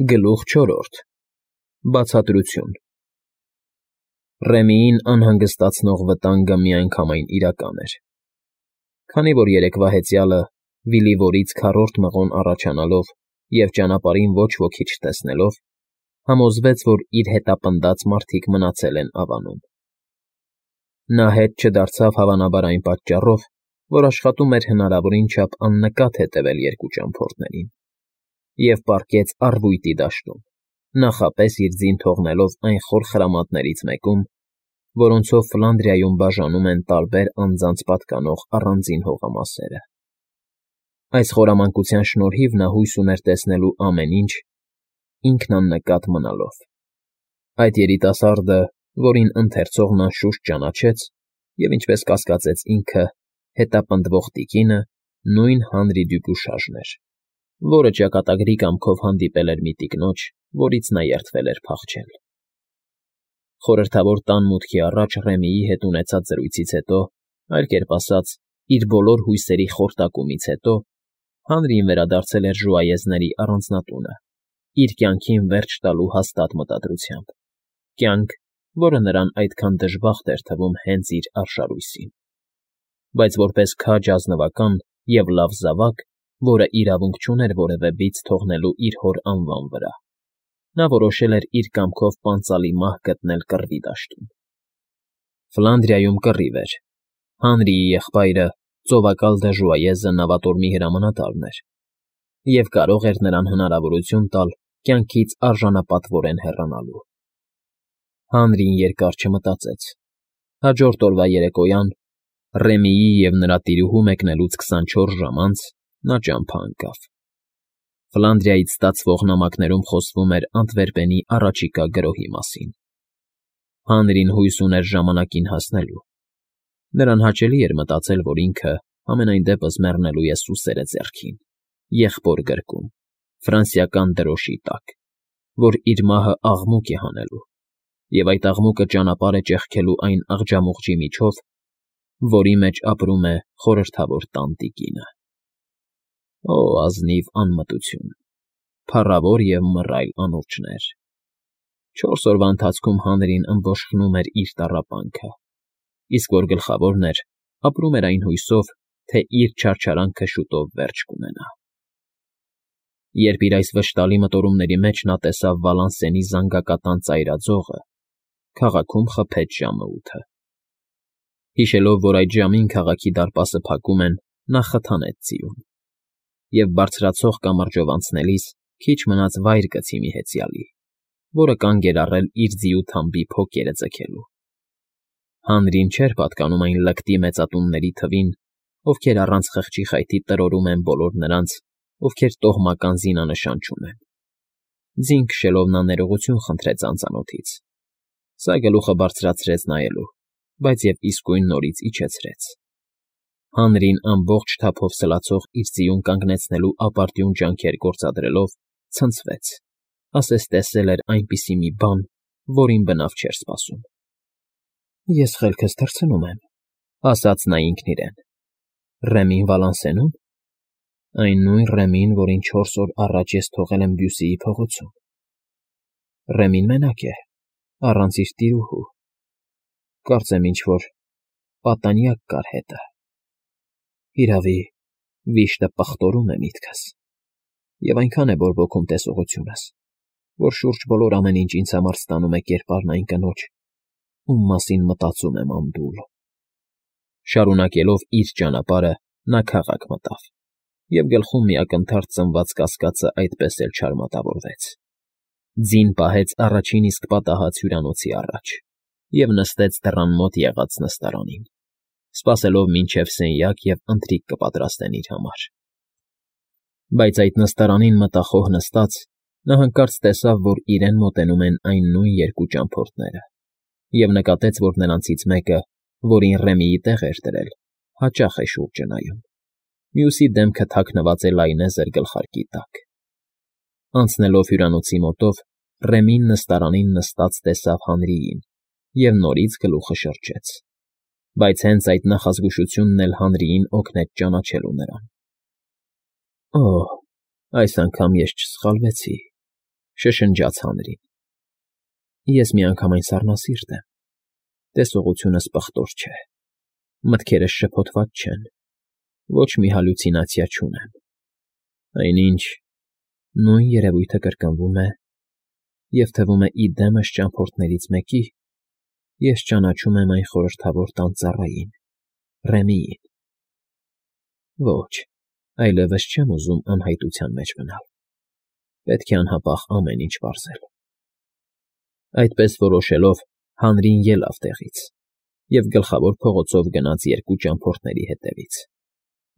Գլուխ 4 Բացատրություն Ռեմիին անհանգստացնող վտանգը միանգամայն իրական էր, քանի որ երեկվա հեծյալը Վիլիվորից քառորդ մղոն առաջանալով և ճանապարհին ոչ ոքի չտեսնելով, համոզվեց, որ իր հետապնդած մարդիկ մնացել են Ավանում։ Նա հետ չդարձավ հավանաբար այն պատճառով, որ աշխատում էր հնարավորին չափ աննկատ հետևել երկու ճամփորդներին, և պառկեց առվույտի դաշտում, նախապես իր ձին թողնելով այն խոր խրամատներից մեկում, որոնցով Ֆլանդրիայում բաժանում են տարբեր անձանց պատկանող առանձին հողամասերը։ Այս խորամանկության շնորհիվ նա հույս ուներ տեսնելու ամեն ինչ, ինքն աննկատ մնալով։ Այդ երիտասարդը, որին ընթերցողն անշուշտ ճանաչեց և, ինչպես կասկածեց ինքը, հետապնդվող տիկինը նույն Հանրի Դյուպյուշաժն էր, որը ճակատագրի կամքով հանդիպել էր մի տիկնոջ, որից նա երդվել էր փախչել։ Խորհրդավոր տան մուտքի առաջ Ռեմիի հետ ունեցած զրույցից հետո, այլ կերպ ասած, իր բոլոր հույսերի խորտակումից հետո, Հանրին վերադարձել էր ժուայեզների առանձնատունը, իր կյանքին վերջ տալու հաստատ մտադրությամբ, կյանք, որը նրան այդքան դժբախտ էր թվում հենց իր արշալույսին։ Բայց որպես քաջ ազնվական և լավ զավակ, որը իրավունք չուներ որևէ բիծ թողնելու իր հոր անվան վրա, նա որոշել էր իր կամքով պանծալի մահ գտնել կռվի դաշտում։ Ֆլանդրիայում կռիվ էր։ Հանրիի եղբայրը, ծովակալ դժուայեզը նավատորմի հրամանատարն էր և կարող էր նրան հնարավորություն տալ կյանքից արժանապատվորեն հեռանալու։ Հանրին երկար չմտածեց։ Հաջորդ օրվա երեկոյան, Ռեմիի և նրա տիրուհու մեկնելուց 24 ժամ անց, նա ճամփա ընկավ։ Ֆլանդրիայից ստացվող նամակներում խոսվում էր Անտվերպենի առաջիկա գրոհի մասին։ Հանրին հույս ուներ ժամանակին հասնելու։ Նրան հաճելի էր մտածել, որ ինքը համենայն դեպս մեռնելու է սուսերը ձեռքին, եղբոր գրկում, ֆրանսիական դրոշի տակ, որ իր մահը աղմուկ է հանելու, և այդ աղմուկը ճանապարհ է ճեղքելու այն աղջամուղջի միջով, որի մեջ ապրում է խորհրդավոր տան տիկինը։ Օ, ազնիվ անմտություն, փառավոր և մռայլ անուրջներ։ 4 օրվա ընթացքում Հանրին ըմբոշխնում էր իր տառապանքը, իսկ որ գլխավորն էր, ապրում էր այն հույսով, թե իր չարչարանքը շուտով վերջ կունենա։ Երբ իր այս վշտալի մտորումների մեջ նա տեսավ Վալանսենի զանգակատան ծայրաձողը, քաղաքում խփեց ժամը 8-ը։ Հիշելով, որ այդ ժամին քաղաքի դարպասը փակում են, նա խթանեց ձիուն և բարձրացող կամրջով անցնելիս քիչ մնաց վայր գցի մի հեծյալի, որը կանգ էր առել իր ձիու թամբի փոկերը ձգելու։ Հանրին չէր պատկանում այն լկտի մեծատունների թվին, ովքեր առանց խղճի խայթի տրորում են բոլոր նրանց, ովքեր տոհմական զինանշան չունեն։ Ձին քշելով նա ներողություն խնդրեց անծանոթից։ Սա գլուխը բարձրացրեց նայելու, բայց և իսկույն նորից իջեցրեց։ Հանրին ամբողջ թափով սլացող իր ձիուն կանգնեցնելու ապարդյուն ջանքեր գործադրելով, ցնցվեց, ասես տեսել էր այնպիսի մի բան, որին բնավ չէր սպասում։ Ես խելքս թռցնում եմ, ասաց նա ինքն իրեն։ Ռեմին Վալանսենո՞ւմ։ Այն նույն Ռեմին, որին 4 օր առաջ ես թողել եմ Բյուսիի փողոցում։ Ռեմին մենակ է, առանց իր տիրուհու։ Կարծեմ ինչ֊որ պատանյակ կար հետը։ Հիրավի, վիշտը պղտորում է միտքս, և այնքան է բորբոքում տեսողությունս, որ շուրջ բոլոր ամեն ինչ ինձ համար ստանում է կերպարն այն կնոջ, ում մասին մտածում եմ անդուլ։ Շարունակելով իր ճանապարհը, նա քաղաք մտավ, և գլխում մի ակնթարթ ծնված կասկածը այդպես էլ չարմատավորվեց։ Ձին պահեց առաջին իսկ պատահած հյուրանոցի առաջ և նստեց դռան մոտ եղած նստարանին, սպասելով մինչև սենյակ և ընթրիք կպատրաստեն իր համար։ Բայց այդ նստարանին մտախոհ նստած, նա հանկարծ տեսավ, որ իրեն մոտենում են այն նույն երկու ճամփորդները, և նկատեց, որ նրանցից մեկը, որին Ռեմիի տեղ էր դրել, հաճախ է շուրջը նայում, մյուսի դեմքը թաքնված է լայնեզր գլխարկի տակ։ Անցնելով հյուրանոցի մոտով, Ռեմին նստարանին նստած տեսավ Հանրիին և նորից գլուխը շրջեց։ Բայց հենց այդ նախազգուշությունն էլ Հանրիին օգնեց ճանաչելու նրան։ Օ՜, այս անգամ ես չսխալվեցի։ Շշնջաց Հանրին։ Ես միանգամայն սառնասիրտ եմ, տեսողությունս պղտոր չէ, մտքերս շփոթված չեն, ոչ մի հալյուցինացիա չունեմ, այնինչ նույն երևույթը կրկնվում է և թվում է ի դեմս ճամփորդներից մեկի, ես ճանաչում եմ այն խորհրդավոր տան ծառային, Ռեմիին։ Ոչ, այլևս չեմ ուզում անհայտության մեջ մնալ, պետք է անհապաղ ամեն ինչ պարզել։ Այդպես որոշելով, Հանրին ելավ տեղից և գլխավոր փողոցով գնաց երկու ճամփորդների հետևից,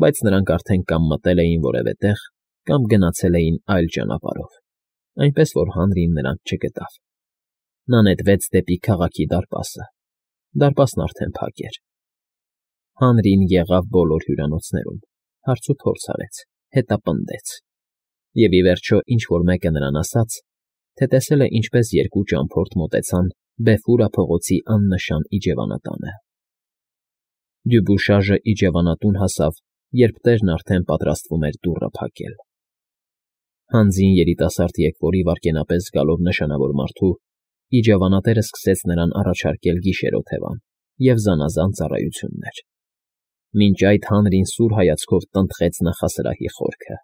բայց նրանք արդեն կամ մտել էին որևէ տեղ, կամ գնացել էին այլ ճանապարհով, այնպես որ Հանրին նրանց չգտավ։ Նա նետվեց դեպի քաղաքի դարպասը, դարպասն արդեն փակ էր։ Հանրին եղավ բոլոր հյուրանոցներում, հարցուփորձ արեց, հետապնդեց, և ի վերջո ինչ֊որ մեկը նրան ասաց, թե տեսել է, ինչպես երկու ճամփորդ մոտեցան Բեֆուրա փողոցի աննշան իջևանատանը։ Դյուբուշաժը իջևանատուն հասավ, երբ տերն արդեն պատրաստվում էր դուռը փակել։ Հանձին երիտասարդ եղբորի վայրկենապես գալով նշանավոր մարդու, իջևանատերը սկսեց նրան առաջարկել գիշերօթևան և զանազան ծառայություններ։ Մինչ այդ Հանրին սուր հայացքով տնտղեց նախասրահի խորքը։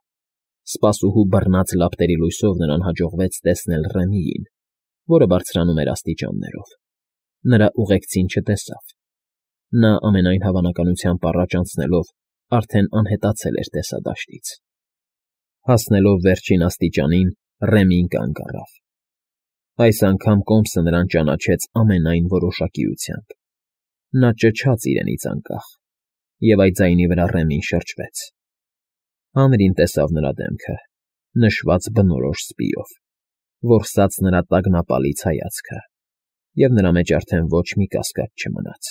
Սպասուհու բռնած լապտերի լույսով նրան հաջողվեց տեսնել Ռեմիին, որը բարձրանում էր աստիճաններով։ Նրա ուղեկցին չտեսավ։ Նա ամենայն հավանականությամբ առաջ անցնելով արդեն անհետացել էր տեսադաշտից։ Հասնելով վերջին աստիճանին, Ռեմին կանգ առավ։ Այս անգամ կոմսը նրան ճանաչեց ամենայն որոշակիությամբ։ Նա ճչաց իրենից անկախ, և այդ ձայնի վրա Ռեմին շրջվեց։ Հանրին տեսավ նրա դեմքը, նշված բնորոշ սպիով, որսաց նրա տագնապալից հայացքը, և նրա մեջ արդեն ոչ մի կասկած չմնաց։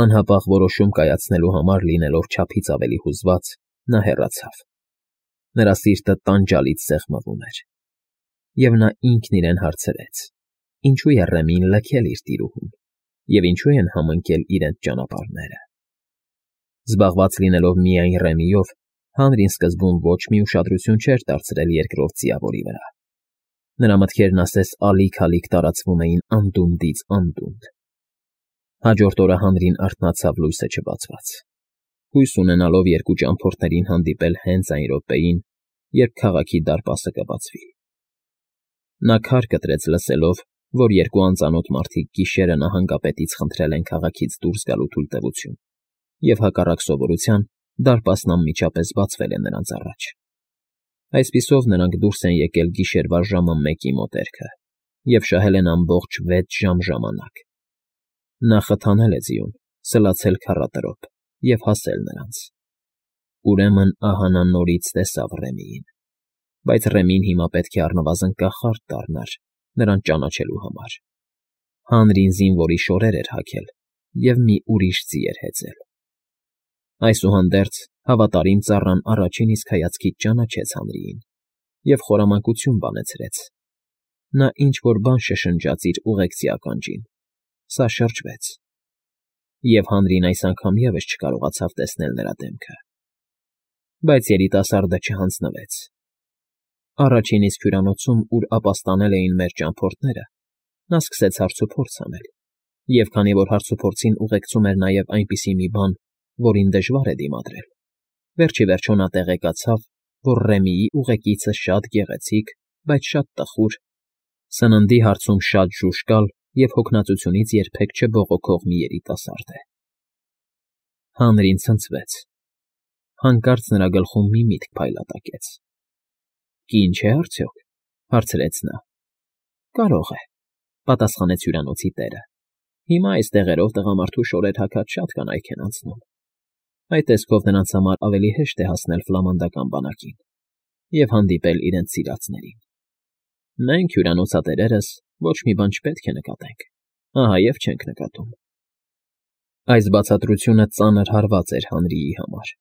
Անհապաղ որոշում կայացնելու համար լինելով չափից ավելի հուզված, նա հեռացավ։ Նրա սիրտը տանջալից սեղմվում էր, և նա ինքն իրեն հարցրեց. ինչու է Ռեմին լքել իր տիրուհուն, և ինչու են համընկել իրենց ճանապարհները։ Զբաղված լինելով միայն Ռեմիով, Հանրին սկզբում ոչ մի ուշադրություն չէր դարձրել երկրորդ ձիավորի վրա։ Նրա մտքերն ասես ալիք֊ալիք տարածվում էին անդունդից անդունդ։ Հաջորդ օրը Հանրին արթնացավ լույսը չբացված, հույս ունենալով երկու ճամփորդներին հանդիպել հենց այն րոպեին, երբ քաղաքի դարպասը կբացվի։ Նա քար կտրեց լսելով, որ երկու անծանոթ մարդիկ գիշերը նահանգապետից խնդրել են քաղաքից դուրս գալու թույլտվություն, և հակառակ սովորության դարպասն անմիջապես բացվել է նրանց առաջ։ Այսպիսով նրանք դուրս են եկել գիշերվա ժամը 1-ի մոտերքը և շահել են ամբողջ 6 ժամ ժամանակ։ Նա խթանել է ձիուն, սլացել քառատրոփ և հասել նրանց։ Ուրեմն ահա նա նորից տեսավ Ռեմիին, բայց Ռեմին հիմա պետք է առնվազն կախարդ դառնար նրան ճանաչելու համար։ Հանրին զինվորի շորեր էր հագել և մի ուրիշ ձի էր հեծել։ Այսուհանդերձ հավատարիմ ծառան առաջին իսկ հայացքից ճանաչեց Հանրիին և խորամանկություն բանեցրեց։ Նա ինչ֊որ բան շշնջաց իր ուղեկցի ականջին, սա շրջվեց, և Հանրին այս անգամ ևս չկարողացավ տեսնել նրա դեմքը։ Բայց երիտասարդը չհանձնվեց։ Առաջին իսկ հյուրանոցում, ուր ապաստանել էին մեր ճամփորդները, նա սկսեց հարցուփորձ անել, և քանի որ հարցուփորձին ուղեկցում էր նաև այնպիսի մի բան, որին դժվար է դիմադրել, վերջ ի վերջո նա տեղեկացավ, որ Ռեմիի ուղեկիցը շատ գեղեցիկ, բայց շատ տխուր, սննդի հարցում շատ ժուժկալ և հոգնածությունից երբեք չբողոքող մի երիտասարդ է։ Հանրին ցնցվեց։ Հանկարծ նրա գլխում մի միտք փայլատակեց։ «Կին չէ՞ արդյոք», հարցրեց նա։ «Կարող է», պատասխանեց հյուրանոցի տերը։ «Հիմա այս տեղերով տղամարդու շորեր հագած շատ կանայք են անցնում։ Այդ տեսքով նրանց համար ավելի հեշտ է հասնել ֆլամանդական բանակին և հանդիպել իրենց սիրածներին։ Մենք, հյուրանոցատերերս, ոչ մի բան չպետք է նկատենք, ահա և չենք նկատում»։ Այս բացատրությունը ծանր հարված էր Հանրիի համար։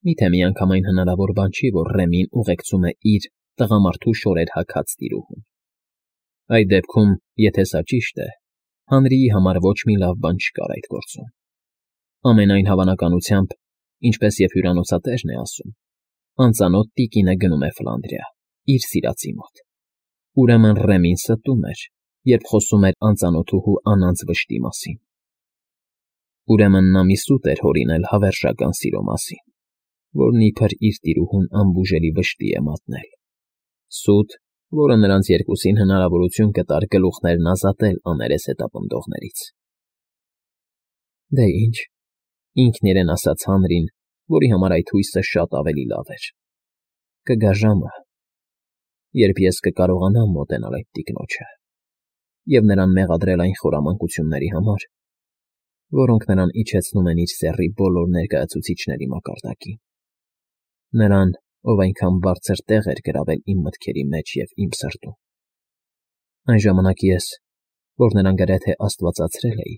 Միթե միանգամայն հնարավոր բան չի, որ Ռեմին ուղեկցում է իր տղամարդու շորեր հագած տիրուհուն։ Այդ դեպքում, եթե սա ճիշտ է, Հանրիի համար ոչ մի լավ բան չկար այդ գործում։ Ամենայն հավանականությամբ, ինչպես և հյուրանոցատերն է ասում, անծանոթ տիկինը գնում է Ֆլանդրիա, իր սիրածի մոտ։ Ուրեմն Ռեմին ստում էր, երբ խոսում էր անծանոթուհու անանց վշտի մասին։ Ուրեմն նա մի սուտ էր հորինել հավերժական սիրո մասին, որն իբր իր տիրուհուն անբուժելի վշտի է մատնել։ Սուտ, որը նրանց երկուսին հնարավորություն կտար գլուխներն ազատել աներես հետապնդողներից։ Դե ինչ, ինքն իրեն ասաց Հանրին, որի համար այդ հույսը շատ ավելի լավ էր։ Կգա ժամը, երբ ես կկարողանամ մոտենալ այդ տիկնոջը և նրան մեղադրել այն խորամանկությունների համար, որոնք նրան իջեցնում են իր սեռի բոլոր ներկայացուցիչների մակարդակին, նրան, ով այնքան բարձր տեղ էր գրավել իմ մտքերի մեջ և իմ սրտում։ Այն ժամանակ ես, որ նրան գրեթե աստվածացրել էի,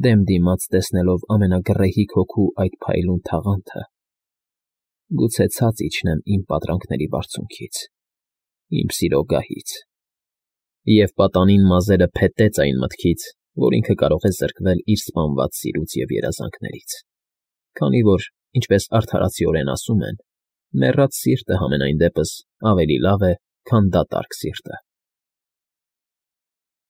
դեմ դիմաց տեսնելով ամենագռեհիկ հոգու այդ փայլուն թաղանթը, գուցե ցած իջնեմ իմ պատրանքների բարձունքից, իմ սիրո գահից, և պատանին մազերը փետեց այն մտքից, որ ինքը կարող է զրկվել իր սպանված սիրուց և երազանքներից, քանի որ, ինչպես արդարացիորեն ասում են, մեռած սիրտը համենայն դեպս ավելի լավ է, քան դատարկ սիրտը։